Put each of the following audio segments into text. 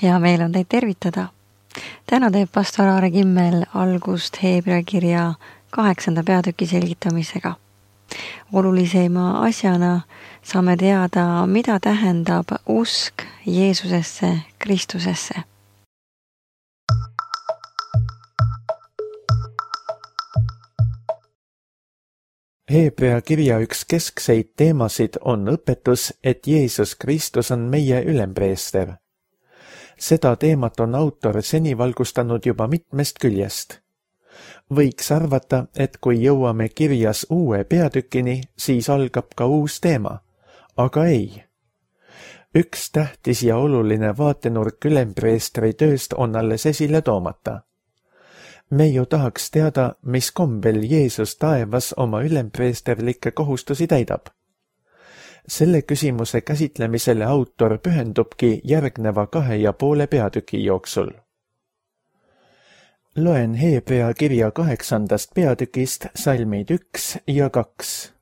Hea meel on teid tervitada. Täna teeb pastor Aare Kimmel algust Hebra kirja 8. peatüki selgitamisega. Olulisema asjana saame teada, mida tähendab usk Jeesusesse, Kristusesse. Hebra kirja üks keskseid teemasid on õpetus, et Jeesus Kristus on meie ülempreester. Seda teemat on autor seni valgustanud juba mitmest küljest. Võiks arvata, et kui jõuame kirjas uue peatükini, siis algab ka uus teema. Aga ei. Üks tähtis ja oluline vaatenurk ülempreestri tööst on alles esile toomata. Me ju tahaks teada, mis kombel Jeesus taevas oma ülempreesterlikke kohustusi täidab. Selle küsimuse käsitlemisele autor pühendubki järgneva 2,5 peatüki jooksul. Loen Hebra kirja 8. peatükist salmid 1 ja 2.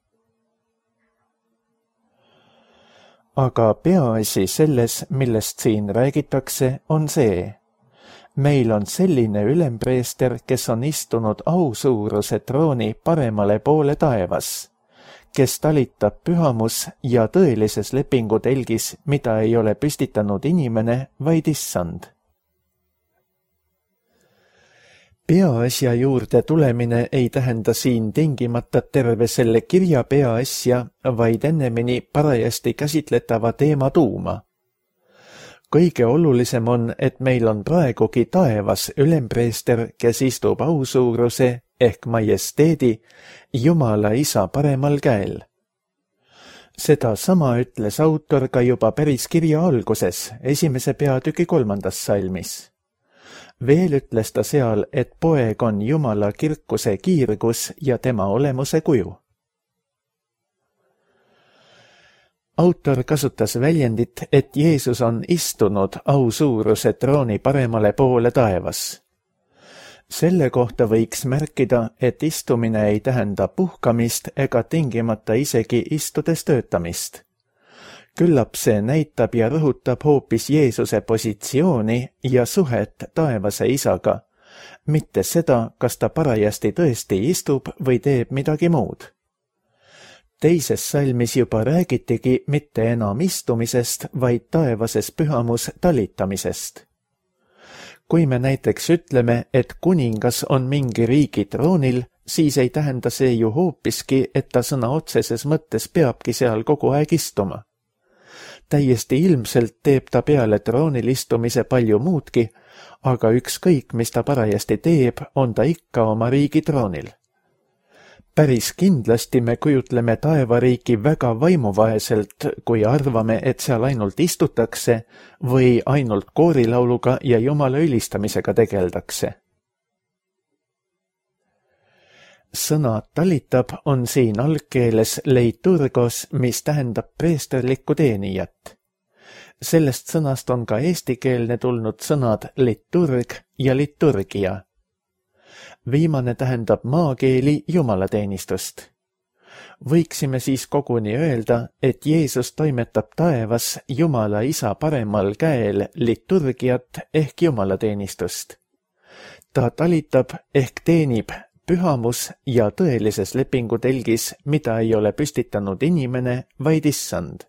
Aga peaasi selles, millest siin räägitakse, on see. Meil on selline ülempreester, kes on istunud ausuuruse trooni paremale poole taevas, kes talitab pühamus ja tõelises lepingu telgis, mida ei ole püstitanud inimene, vaid issand. Peaasja juurde tulemine ei tähenda siin tingimata terve selle kirja peaasja, vaid ennemini parajasti käsitletava teema tuuma. Kõige olulisem on, et meil on praegugi taevas ülempreester, kes istub ausuuruse ehk majesteedi Jumala Isa paremal käel. Seda sama ütles autor ka juba päris kirja alguses, 1. peatüki 3. salmis. Veel ütles ta seal, et poeg on Jumala kirkuse kiirgus ja tema olemuse kuju. Autor kasutas väljendit, et Jeesus on istunud ausuuruse trooni paremale poole taevas. Selle kohta võiks märkida, et istumine ei tähenda puhkamist ega tingimata isegi istudes töötamist. Küllap see näitab ja rõhutab hoopis Jeesuse positsiooni ja suhet taevase isaga, mitte seda, kas ta parajasti tõesti istub või teeb midagi muud. Teises salmis juba räägitigi mitte enam istumisest, vaid taevases pühamus talitamisest. Kui me näiteks ütleme, et kuningas on mingi riigi troonil, siis ei tähenda see ju hoopiski, et ta sõna otseses mõttes peabki seal kogu aeg istuma. Täiesti ilmselt teeb ta peale troonil istumise palju muudki, aga ükskõik, mis ta parajasti teeb, on ta ikka oma riigi troonil. Päris kindlasti me kujutleme taevariiki väga vaimuvaeselt, kui arvame, et seal ainult istutakse või ainult koorilauluga ja Jumala ülistamisega tegeldakse. Sõna talitab on siin algkeeles leiturgos, mis tähendab preesterlikku teenijat. Sellest sõnast on ka eestikeelne tulnud sõnad liturg ja liturgia. Viimane tähendab maakeeli jumalateenistust. Võiksime siis koguni öelda, et Jeesus toimetab taevas Jumala Isa paremal käel liturgiat ehk jumalateenistust. Ta talitab ehk teenib pühamus ja tõelises lepingu telgis, mida ei ole püstitanud inimene, vaid issand.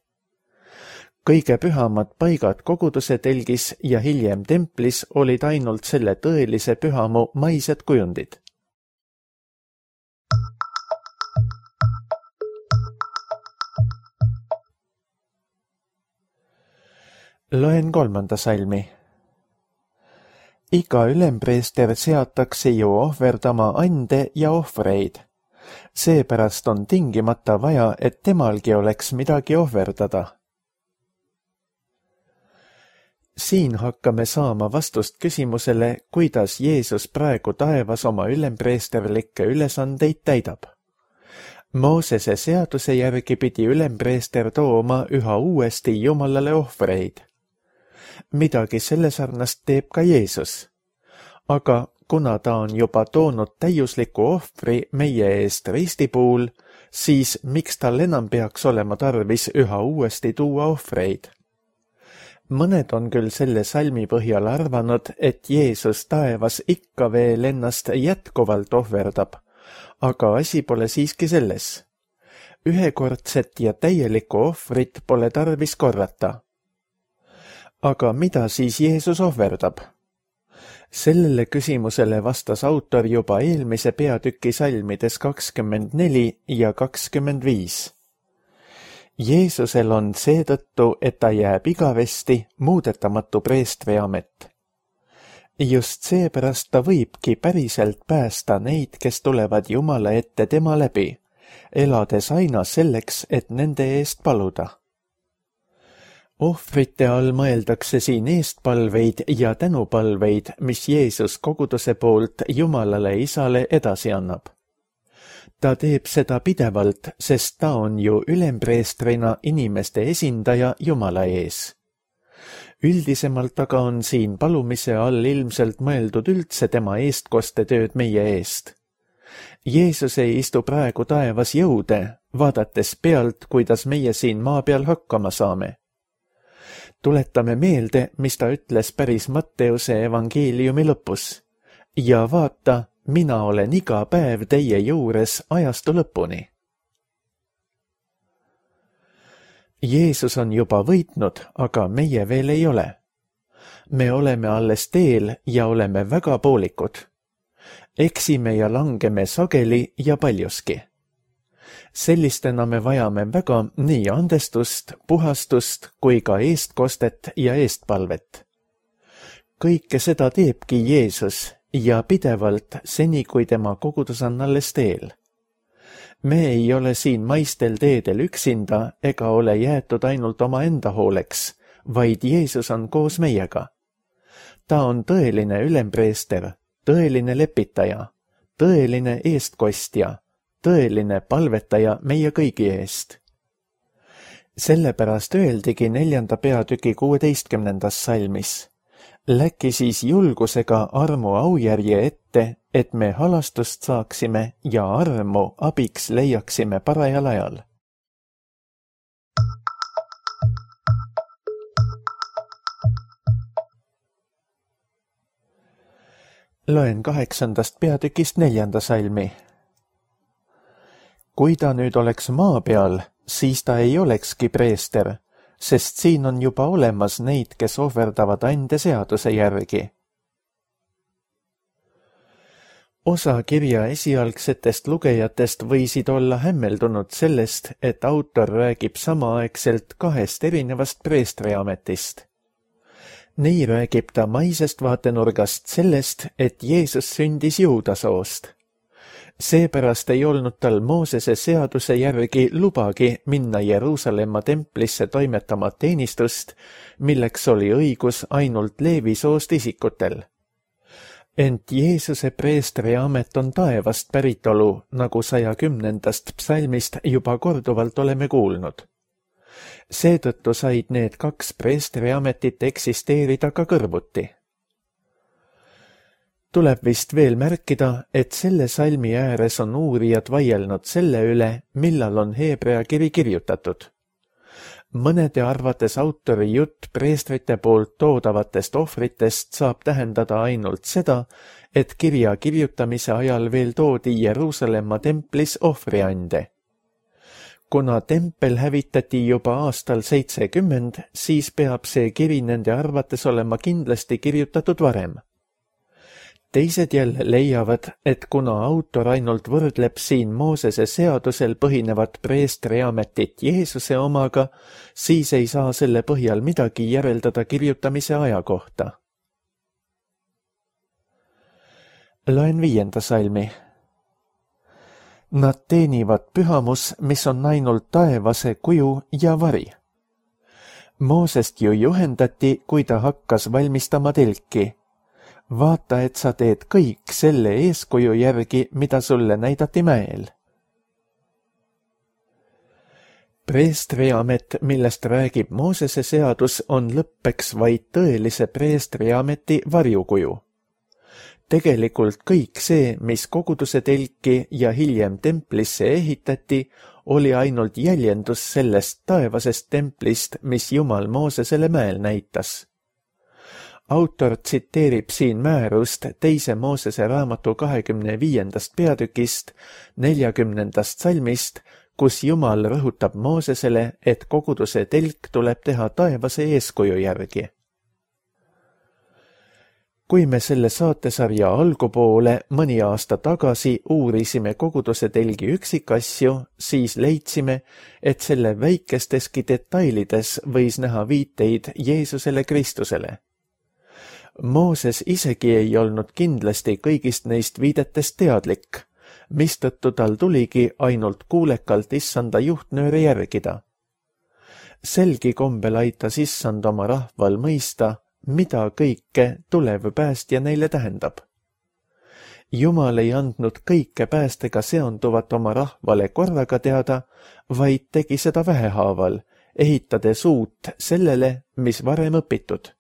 Kõige pühamad paigad koguduse telgis ja hiljem templis olid ainult selle tõelise pühamu maised kujundid. Loen 3. salmi. Iga ülempreester seatakse ju ohverdama ande ja ohvreid. Seepärast on tingimata vaja, et temalgi oleks midagi ohverdada. Siin hakkame saama vastust küsimusele, kuidas Jeesus praegu taevas oma ülempreesterlikke ülesandeid täidab. Moosese seaduse järgi pidi ülempreester tooma üha uuesti Jumalale ohvreid. Midagi selle sarnast teeb ka Jeesus. Aga kuna ta on juba toonud täiusliku ohvri meie eest risti puhul, siis miks tal enam peaks olema tarvis üha uuesti tuua ohvreid? Mõned on küll selle salmi põhjal arvanud, et Jeesus taevas ikka veel ennast jätkuvalt ohverdab, aga asi pole siiski selles. Ühekordset ja täielikku ohvrit pole tarvis korrata. Aga mida siis Jeesus ohverdab? Sellele küsimusele vastas autor juba eelmise peatüki salmides 24 ja 25. Jeesusel on seetõttu, et ta jääb igavesti muudetamatu preestri amet. Just seepärast ta võibki päriselt päästa neid, kes tulevad Jumala ette tema läbi, elades aina selleks, et nende eest paluda. Ohvrite all mõeldakse siin eestpalveid ja tänupalveid, mis Jeesus koguduse poolt Jumalale Isale edasi annab. Ta teeb seda pidevalt, sest ta on ju ülempreestrina inimeste esindaja Jumala ees. Üldisemalt aga on siin palumise all ilmselt mõeldud üldse tema eestkostetööd meie eest. Jeesus ei istu praegu taevas jõude, vaadates pealt, kuidas meie siin maa peal hakkama saame. Tuletame meelde, mis ta ütles päris Matteuse evangeeliumi lõpus. Ja vaata, mina olen iga päev teie juures ajastu lõpuni. Jeesus on juba võitnud, aga meie veel ei ole. Me oleme alles teel ja oleme väga poolikud. Eksime ja langeme sageli ja paljuski. Sellistena me vajame väga nii andestust, puhastust kui ka eestkostet ja eestpalvet. Kõike seda teebki Jeesus ja pidevalt seni, kui tema kogudus on alles teel. Me ei ole siin maistel teedel üksinda ega ole jäetud ainult oma enda hooleks, vaid Jeesus on koos meiega. Ta on tõeline ülempreester, tõeline lepitaja, tõeline eestkostja, tõeline palvetaja meie kõigi eest. Sellepärast öeldigi 4. peatüki 16. salmis. Läki siis julgusega armu aujärje ette, et me halastust saaksime ja armu abiks leiaksime parajal ajal. Loen 8. peatükist 4. salmi. Kui ta nüüd oleks maa peal, siis ta ei olekski preester, sest siin on juba olemas neid, kes ohverdavad ande seaduse järgi. Osa kirja esialgsetest lugejatest võisid olla hämmeldunud sellest, et autor räägib samaaegselt 2 erinevast preestriametist. Nii räägib ta maisest vaatenurgast sellest, et Jeesus sündis juuda soost. Seepärast ei olnud tal Moosese seaduse järgi lubagi minna Jeruusalemma templisse toimetama teenistust, milleks oli õigus ainult Leevi soost isikutel. Ent Jeesuse preestri amet on taevast päritolu, nagu 110. psalmist juba korduvalt oleme kuulnud. Seetõttu said need 2 preestriametit eksisteerida ka kõrvuti. Tuleb vist veel märkida, et selle salmi ääres on uurijad vaielnud selle üle, millal on Heebrea kiri kirjutatud. Mõnede arvates autori jutt preestrite poolt toodavatest ohvritest saab tähendada ainult seda, et kirja kirjutamise ajal veel toodi Jeruusalemma templis ohvriande. Kuna tempel hävitati juba aastal 70, siis peab see kiri nende arvates olema kindlasti kirjutatud varem. Teised jälle leiavad, et kuna autor ainult võrdleb siin Moosese seadusel põhinevat preestriametit Jeesuse omaga, siis ei saa selle põhjal midagi järeldada kirjutamise aja kohta. Loen 5. salmi. Nad teenivad pühamus, mis on ainult taevase kuju ja vari. Moosest ju juhendati, kui ta hakkas valmistama telki. Vaata, et sa teed kõik selle eeskuju järgi, mida sulle näidati mäel. Preestriamet, millest räägib Moosese seadus, on lõppeks vaid tõelise preestriameti varjukuju. Tegelikult kõik see, mis koguduse telki ja hiljem templisse ehitati, oli ainult jäljendus sellest taevasest templist, mis Jumal Moosesele mäel näitas. Autor tsiteerib siin määrust 2. Moosese raamatu 25. peatükist 40. salmist, kus Jumal rõhutab Moosesele, et koguduse telk tuleb teha taevase eeskuju järgi. Kui me selle saatesarja algupoole mõni aasta tagasi uurisime koguduse telgi üksikasju, siis leidsime, et selle väikesteski detailides võis näha viiteid Jeesusele Kristusele. Mooses isegi ei olnud kindlasti kõigist neist viidetest teadlik, mistõttu tal tuligi ainult kuulekalt issanda juhtnööre järgida. Selgi kombel aitas issand oma rahval mõista, mida kõike tulev päästja neile tähendab. Jumal ei andnud kõike päästega seonduvat oma rahvale korraga teada, vaid tegi seda vähehaaval, ehitades uut sellele, mis varem õpitud.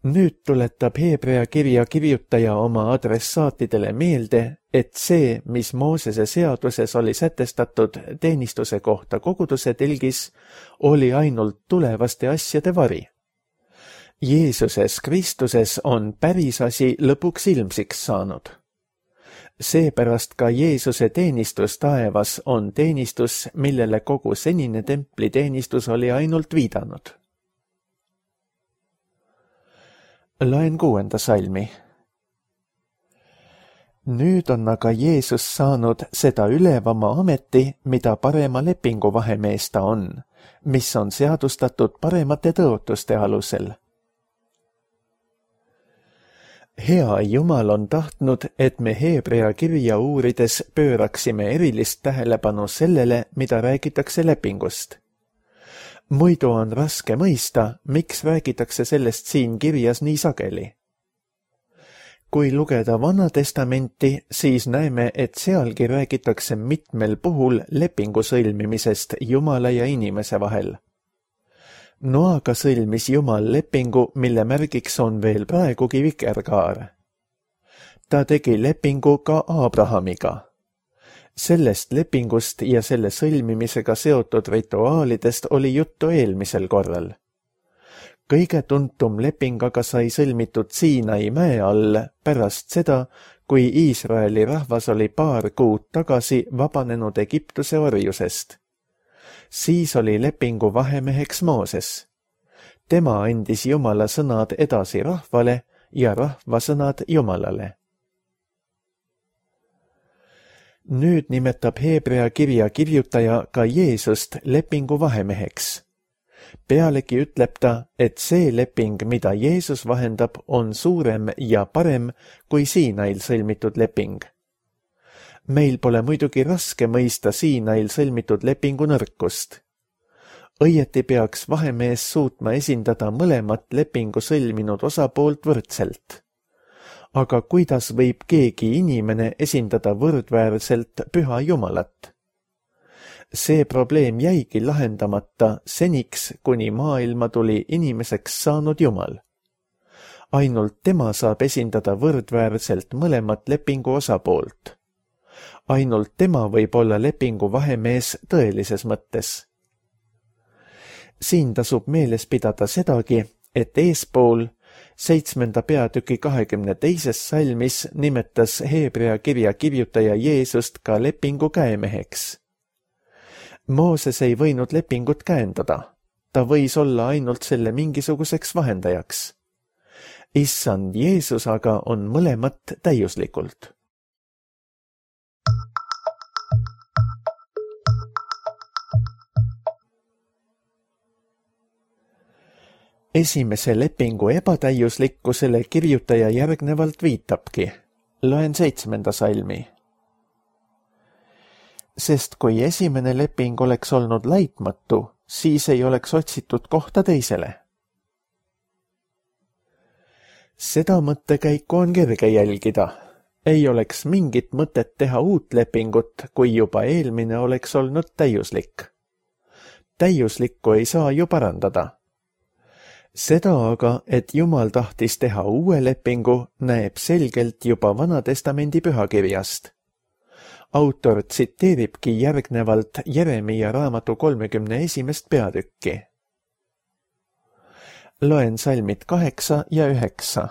Nüüd tuletab Hebrea kirja kirjutaja oma adressaatidele meelde, et see, mis Moosese seaduses oli sätestatud teenistuse kohta koguduse telgis, oli ainult tulevaste asjade vari. Jeesuses Kristuses on päris asi lõpuks ilmsiks saanud. Seepärast ka Jeesuse teenistus taevas on teenistus, millele kogu senine templiteenistus oli ainult viidanud. Loen 6. salmi. Nüüd on aga Jeesus saanud seda ülevama ameti, mida parema lepingu vahemees ta on, mis on seadustatud paremate tõotuste alusel. Hea Jumal on tahtnud, et me Hebrea kirja uurides pööraksime erilist tähelepanu sellele, mida räägitakse lepingust. Muidu on raske mõista, miks räägitakse sellest siin kirjas nii sageli. Kui lugeda Vana Testamenti, siis näeme, et sealgi räägitakse mitmel puhul lepingu sõlmimisest Jumala ja inimese vahel. Noaga sõlmis Jumal lepingu, mille märgiks on veel praegugi vikerkaar. Ta tegi lepingu ka Abrahamiga. Sellest lepingust ja selle sõlmimisega seotud rituaalidest oli juttu eelmisel korral. Kõige tuntum leping aga sai sõlmitud Siinai mäe all pärast seda, kui Iisraeli rahvas oli paar kuud tagasi vabanenud Egiptuse orjusest. Siis oli lepingu vahemeheks Mooses. Tema andis Jumala sõnad edasi rahvale ja rahva sõnad Jumalale. Nüüd nimetab Hebrea kirja kirjutaja ka Jeesust lepingu vahemeheks. Pealegi ütleb ta, et see leping, mida Jeesus vahendab, on suurem ja parem kui Siinail sõlmitud leping. Meil pole muidugi raske mõista Siinail sõlmitud lepingu nõrkust. Õieti peaks vahemees suutma esindada mõlemat lepingu sõlminud osapoolt võrdselt. Aga kuidas võib keegi inimene esindada võrdväärselt püha Jumalat? See probleem jäigi lahendamata seniks, kuni maailma tuli inimeseks saanud Jumal. Ainult tema saab esindada võrdväärselt mõlemat lepingu osapoolt. Ainult tema võib olla lepingu vahemees tõelises mõttes. Siin tasub meeles pidada sedagi, et eespool 7. peatüki 22. salmis nimetas Hebrea kirja kirjutaja Jeesust ka lepingu käemeheks. Mooses ei võinud lepingut käendada, ta võis olla ainult selle mingisuguseks vahendajaks. Issand Jeesus aga on mõlemat täiuslikult. Esimese lepingu ebatäiuslikkusele kirjutaja järgnevalt viitabki. Loen 7. salmi. Sest kui esimene leping oleks olnud laitmatu, siis ei oleks otsitud kohta teisele. Seda mõttekäiku on kerge jälgida. Ei oleks mingit mõtet teha uut lepingut, kui juba eelmine oleks olnud täiuslik. Täiuslikku ei saa ju parandada. Seda aga, et Jumal tahtis teha uue lepingu, näeb selgelt juba Vana-testamendi pühakirjast. Autor tsiteeribki järgnevalt Jeremiia raamatu 31. peatükki. Loen salmid 8 ja 9.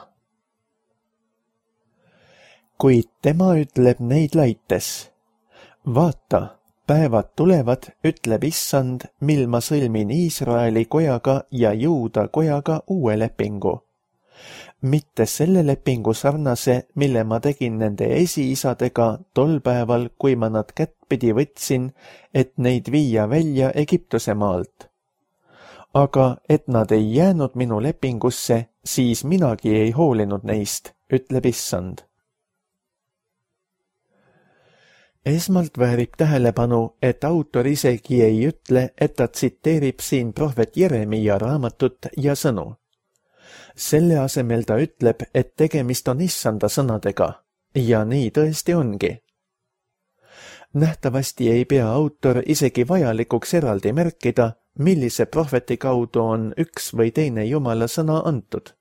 Kuid tema ütleb neid laites. Vaata, päevad tulevad, ütleb Issand, mil ma sõlmin Iisraeli kojaga ja Juuda kojaga uue lepingu. Mitte selle lepingu sarnase, mille ma tegin nende esiisadega tol päeval, kui ma nad kättpidi võtsin, et neid viia välja Egiptuse maalt. Aga et nad ei jäänud minu lepingusse, siis minagi ei hoolinud neist, ütleb Issand. Esmalt väärib tähelepanu, et autor isegi ei ütle, et ta tsiteerib siin prohvet Jeremiia raamatut ja sõnu. Selle asemel ta ütleb, et tegemist on Issanda sõnadega, ja nii tõesti ongi. Nähtavasti ei pea autor isegi vajalikuks eraldi märkida, millise prohveti kaudu on üks või teine Jumala sõna antud.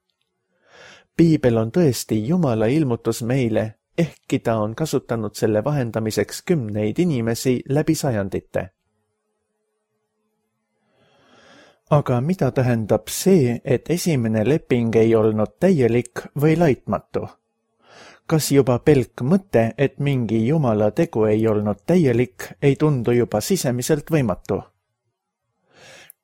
Piibel on tõesti Jumala ilmutus meile, ehkki ta on kasutanud selle vahendamiseks kümneid inimesi läbi sajandite. Aga mida tähendab see, et esimene leping ei olnud täielik või laitmatu? Kas juba pelk mõte, et mingi Jumala tegu ei olnud täielik, ei tundu juba sisemiselt võimatu?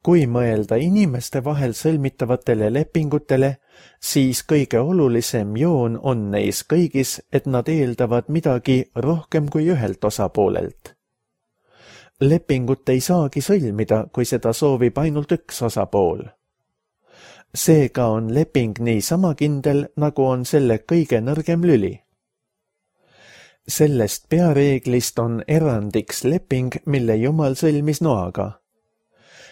Kui mõelda inimeste vahel sõlmitavatele lepingutele, siis kõige olulisem joon on neis kõigis, et nad eeldavad midagi rohkem kui ühelt osapoolelt. Lepingut ei saagi sõlmida, kui seda soovib ainult üks osapool. Seega on leping nii sama kindel, nagu on selle kõige nõrgem lüli. Sellest peareeglist on erandiks leping, mille Jumal sõlmis Noaga.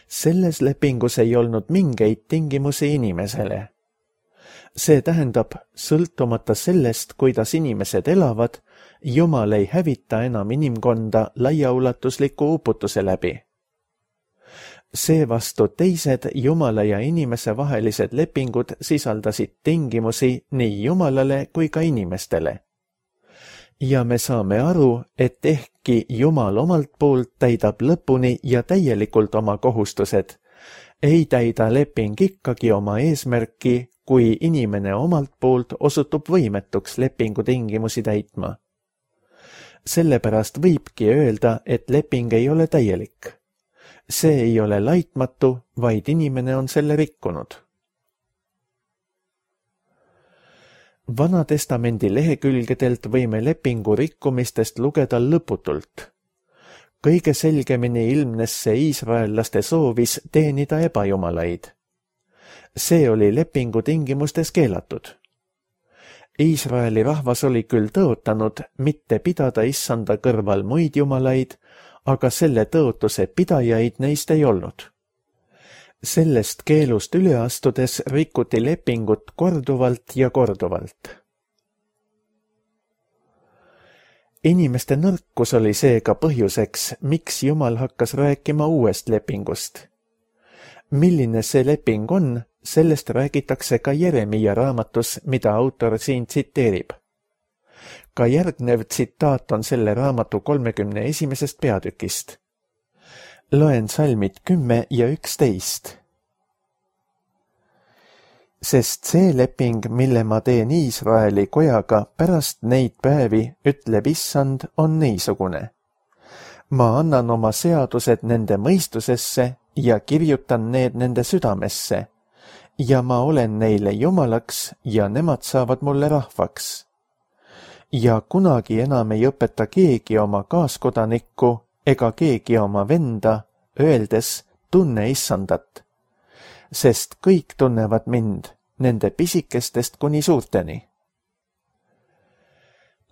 Selles lepingus ei olnud mingeid tingimusi inimesele. See tähendab, sõltumata sellest, kuidas inimesed elavad, Jumal ei hävita enam inimkonda laiaulatusliku uputuse läbi. Seevastu teised Jumala ja inimese vahelised lepingud sisaldasid tingimusi nii Jumalale kui ka inimestele. Ja me saame aru, et ehkki Jumal omalt poolt täidab lõpuni ja täielikult oma kohustused, ei täida leping ikkagi oma eesmärki, kui inimene omalt poolt osutub võimetuks lepingu tingimusi täitma. Sellepärast võibki öelda, et leping ei ole täielik. See ei ole laitmatu, vaid inimene on selle rikkunud. Vana-testamendi lehekülgedelt võime lepingu rikkumistest lugeda lõputult. Kõige selgemini ilmnes see iisraellaste soovis teenida ebajumalaid. See oli lepingu tingimustes keelatud. Iisraeli rahvas oli küll tõotanud mitte pidada Issanda kõrval muid jumalaid, aga selle tõotuse pidajaid neist ei olnud. Sellest keelust üle astudes rikuti lepingut korduvalt ja korduvalt. Inimeste nõrkus oli seega põhjuseks, miks Jumal hakkas rääkima uuest lepingust. Milline see leping on, sellest räägitakse ka Jeremiia raamatus, mida autor siin tsiteerib. Ka järgnev tsitaat on selle raamatu 31. peatükist. Loen salmid 10 ja 11. Sest see leping, mille ma teen Iisraeli kojaga pärast neid päevi, ütleb Issand, on niisugune. Ma annan oma seadused nende mõistusesse ja kirjutan need nende südamesse, ja ma olen neile Jumalaks ja nemad saavad mulle rahvaks. Ja kunagi enam ei õpeta keegi oma kaaskodanikku ega keegi oma venda, öeldes tunne Issandat, sest kõik tunnevad mind, nende pisikestest kuni suurteni.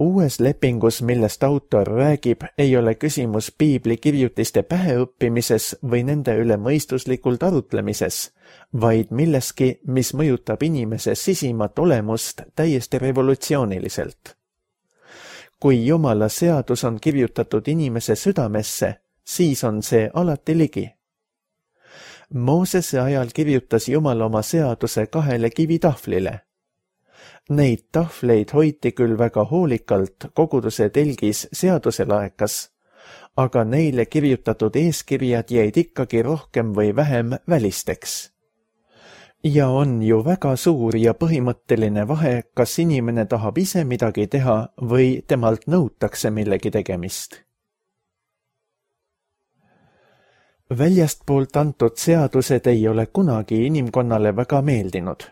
Uues lepingus, millest autor räägib, ei ole küsimus piibli kirjutiste päheõppimises või nende üle mõistuslikult arutlemises, vaid milleski, mis mõjutab inimese sisimat olemust täiesti revolutsiooniliselt. Kui Jumala seadus on kirjutatud inimese südamesse, siis on see alati ligi. Moosese ajal kirjutas Jumal oma seaduse 2 kivitahvlile. Neid tahvleid hoiti küll väga hoolikalt koguduse telgis seaduselaekas, aga neile kirjutatud eeskirjad jäid ikkagi rohkem või vähem välisteks. Ja on ju väga suur ja põhimõtteline vahe, kas inimene tahab ise midagi teha või temalt nõutakse millegi tegemist. Väljastpoolt antud seadused ei ole kunagi inimkonnale väga meeldinud.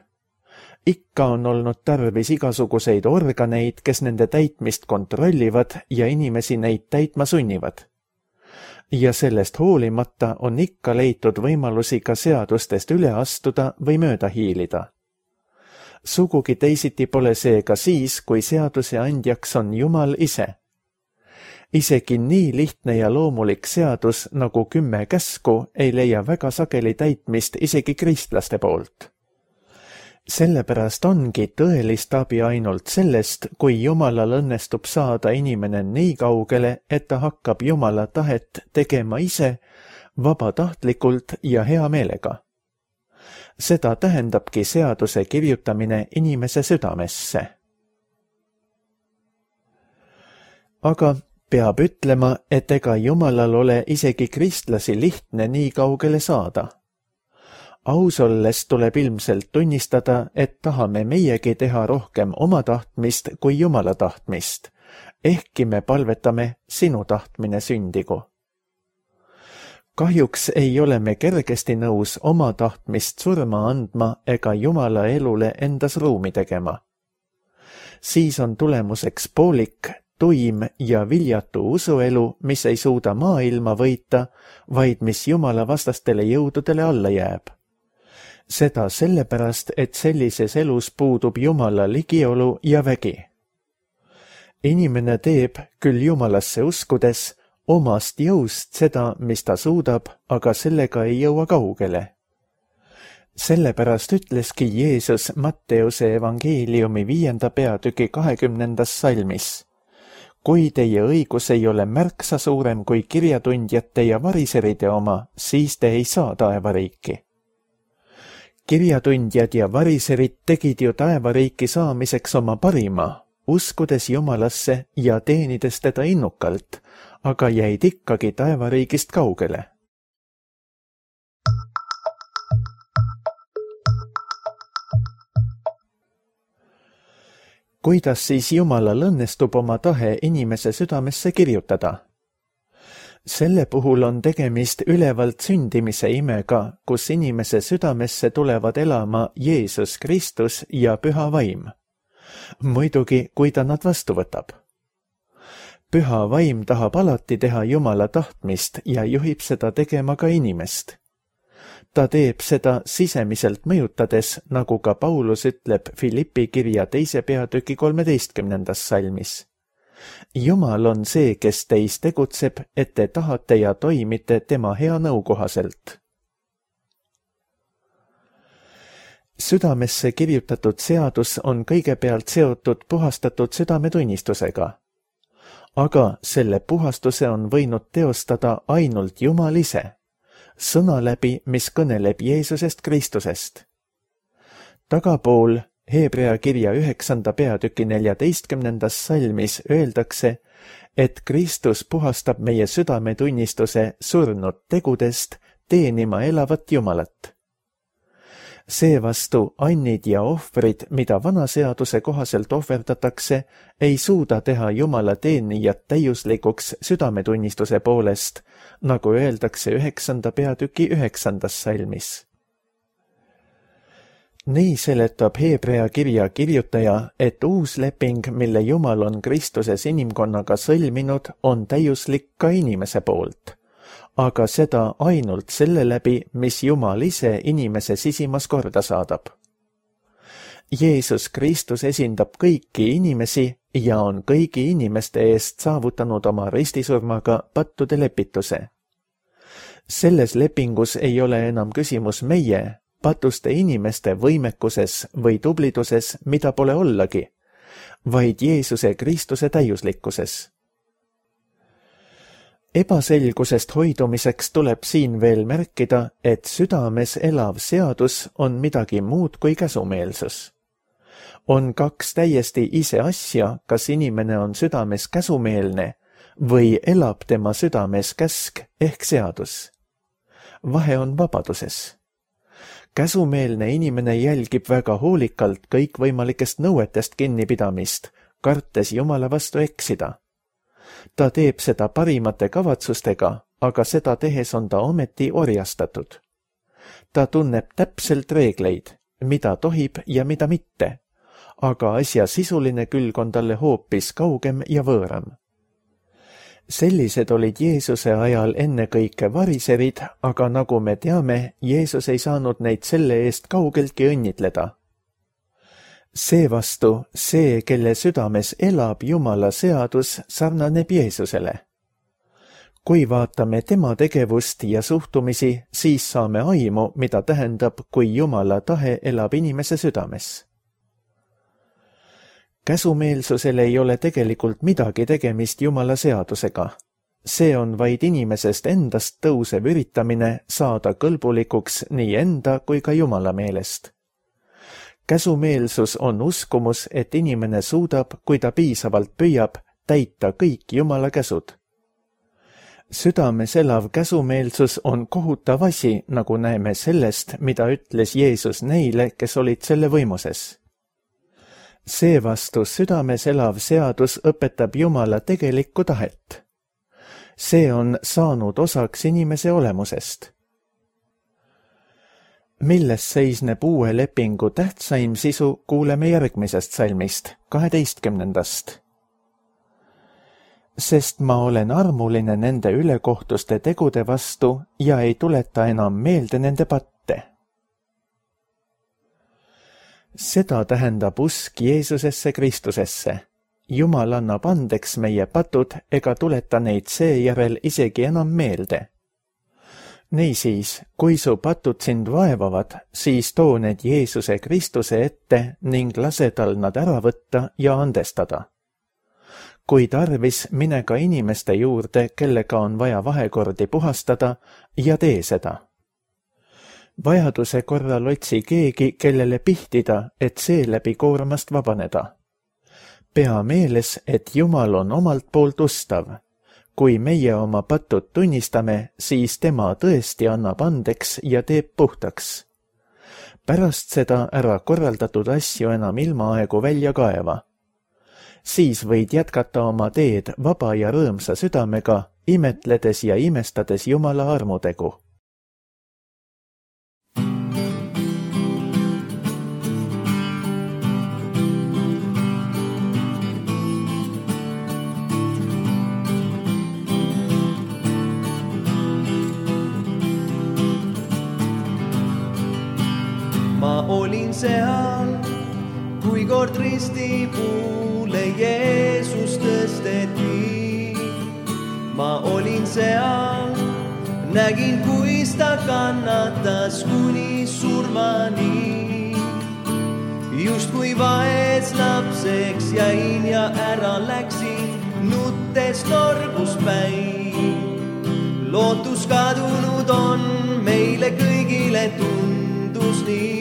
Ikka on olnud tarvis igasuguseid organeid, kes nende täitmist kontrollivad ja inimesi neid täitma sunnivad. Ja sellest hoolimata on ikka leitud võimalusi ka seadustest üle astuda või mööda hiilida. Sugugi teisiti pole see ka siis, kui seaduse andjaks on Jumal ise. Isegi nii lihtne ja loomulik seadus nagu 10 käsku ei leia väga sageli täitmist isegi kristlaste poolt. Sellepärast ongi tõelist abi ainult sellest, kui Jumalal õnnestub saada inimene nii kaugele, et ta hakkab Jumala tahet tegema ise, vabatahtlikult ja hea meelega. Seda tähendabki seaduse kirjutamine inimese südamesse. Aga peab ütlema, et ega Jumalal ole isegi kristlasi lihtne nii kaugele saada. Aus olles tuleb ilmselt tunnistada, et tahame meiegi teha rohkem oma tahtmist kui Jumala tahtmist, ehkki me palvetame sinu tahtmine sündigu. Kahjuks ei ole me kergesti nõus oma tahtmist surma andma ega Jumala elule endas ruumi tegema. Siis on tulemuseks poolik, tuim ja viljatu usuelu, mis ei suuda maailma võita, vaid mis Jumala vastastele jõududele alla jääb. Seda sellepärast, et sellises elus puudub Jumala ligiolu ja vägi. Inimene teeb küll Jumalasse uskudes omast jõust seda, mis ta suudab, aga sellega ei jõua kaugele. Sellepärast ütleski Jeesus Matteuse evangeeliumi 5. peatüki 20. salmis. Kui teie õigus ei ole märksa suurem kui kirjatundjate ja variseride oma, siis te ei saa taevariiki. Kirjatundjad ja variserid tegid ju taevariiki saamiseks oma parima, uskudes Jumalasse ja teenides teda innukalt, aga jäid ikkagi taevariigist kaugele. Kuidas siis Jumalal õnnestub oma tahe inimese südamesse kirjutada? Selle puhul on tegemist ülevalt sündimise imega, kus inimese südamesse tulevad elama Jeesus Kristus ja Püha Vaim. Muidugi, kui ta nad vastu võtab. Püha Vaim tahab alati teha Jumala tahtmist ja juhib seda tegema ka inimest. Ta teeb seda sisemiselt mõjutades, nagu ka Paulus ütleb Filippi kirja 2. peatüki 13. salmis. Jumal on see, kes teis tegutseb, et te tahate ja toimite tema hea nõu kohaselt. Südamesse kirjutatud seadus on kõigepealt seotud puhastatud südametunnistusega. Aga selle puhastuse on võinud teostada ainult Jumal ise, sõna läbi, mis kõneleb Jeesusest Kristusest. Tagapool Heebrea kirja 9. peatüki 14. salmis öeldakse, et Kristus puhastab meie südametunnistuse surnud tegudest teenima elavat Jumalat. Seevastu annid ja ohvrid, mida vana seaduse kohaselt ohverdatakse, ei suuda teha Jumala teenijat täiuslikuks südametunnistuse poolest, nagu öeldakse 9. peatüki 9. salmis. Nii seletab Heebrea kirja kirjutaja, et uus leping, mille Jumal on Kristuses inimkonnaga sõlminud, on täiuslik ka inimese poolt, aga seda ainult selle läbi, mis Jumal ise inimese sisimas korda saadab. Jeesus Kristus esindab kõiki inimesi ja on kõigi inimeste eest saavutanud oma ristisurmaga pattude lepituse. Selles lepingus ei ole enam küsimus meie, patuste inimeste võimekuses või tubliduses, mida pole ollagi, vaid Jeesuse Kristuse täiuslikkuses. Ebaselgusest hoidumiseks tuleb siin veel märkida, et südames elav seadus on midagi muud kui käsumeelsus. On kaks täiesti ise asja, kas inimene on südames käsumeelne või elab tema südames käsk ehk seadus. Vahe on vabaduses. Käsumeelne inimene jälgib väga hoolikalt kõikvõimalikest nõuetest kinnipidamist, kartes Jumala vastu eksida. Ta teeb seda parimate kavatsustega, aga seda tehes on ta ometi orjastatud. Ta tunneb täpselt reegleid, mida tohib ja mida mitte, aga asja sisuline külg on talle hoopis kaugem ja võõram. Sellised olid Jeesuse ajal ennekõike variserid, aga nagu me teame, Jeesus ei saanud neid selle eest kaugeltki õnnitleda. Seevastu see, kelle südames elab Jumala seadus, sarnaneb Jeesusele. Kui vaatame tema tegevust ja suhtumisi, siis saame aimu, mida tähendab, kui Jumala tahe elab inimese südames. Käsumeelsusel ei ole tegelikult midagi tegemist Jumala seadusega. See on vaid inimesest endast tõusev üritamine saada kõlbulikuks nii enda kui ka Jumala meelest. Käsumeelsus on uskumus, et inimene suudab, kui ta piisavalt püüab, täita kõik Jumala käsud. Südames elav käsumeelsus on kohutav asi, nagu näeme sellest, mida ütles Jeesus neile, kes olid selle võimuses. Seevastu südames elav seadus õpetab Jumala tegelikku tahet. See on saanud osaks inimese olemusest. Milles seisneb uue lepingu tähtsaim sisu, kuuleme järgmisest salmist, 12. Sest ma olen armuline nende ülekohtuste tegude vastu ja ei tuleta enam meelde nende patte. Seda tähendab usk Jeesusesse Kristusesse. Jumal annab andeks meie patud ega tuleta neid seejärel isegi enam meelde. Niisiis, kui su patud sind vaevavad, siis too need Jeesuse Kristuse ette ning lase tal nad ära võtta ja andestada. Kui tarvis, mine ka inimeste juurde, kellega on vaja vahekordi puhastada ja tee seda. Vajaduse korral otsi keegi, kellele pihtida, et seeläbi koormast vabaneda. Pea meeles, et Jumal on omalt poolt ustav. Kui meie oma patud tunnistame, siis tema tõesti annab andeks ja teeb puhtaks. Pärast seda ära korraldatud asju enam ilmaaegu välja kaeva. Siis võid jätkata oma teed vaba ja rõõmsa südamega, imetledes ja imestades Jumala armutegu. Ma olin seal, kui kord risti puule Jeesus tõsteti. Ma olin seal, nägin, kuis ta kannatas kuni surmani. Just kui vaes lapseks jäin ja ära läksin, nuttes torgus päin. Lootus kadunud on, meile kõigile tundus nii.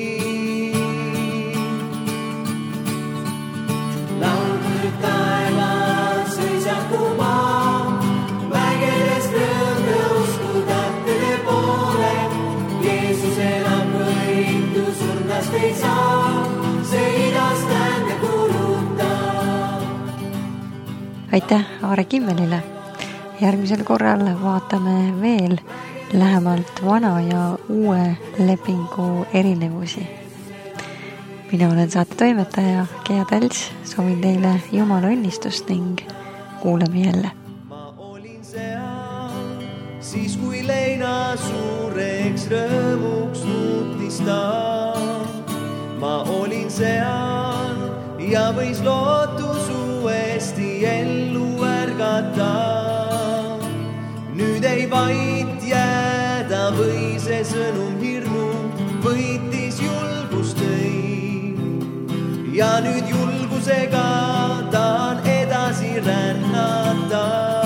Taevas sõisaku maa, vägedes rõõm tõusku tähtede poole. Jeesus elab võitu, surnast ei saa, see idast tänne kulutab. Aitäh Aare Kimmelile! Järgmisel korral vaatame veel lähemalt vana ja uue lepingu erinevusi. Mina olen saate toimetaja Gea Tälts, soovin teile Jumala õnnistust ning kuuleme jälle. Ma olin seal, siis kui leina suureks rõõmuks muutis ta. Ma olin seal ja võis lootus uuesti ellu ärgata. Nüüd ei vaid jääda või see sõnum hirmu võitis julgust tõi. Ja nüüd julgusega tahan edasi rännata.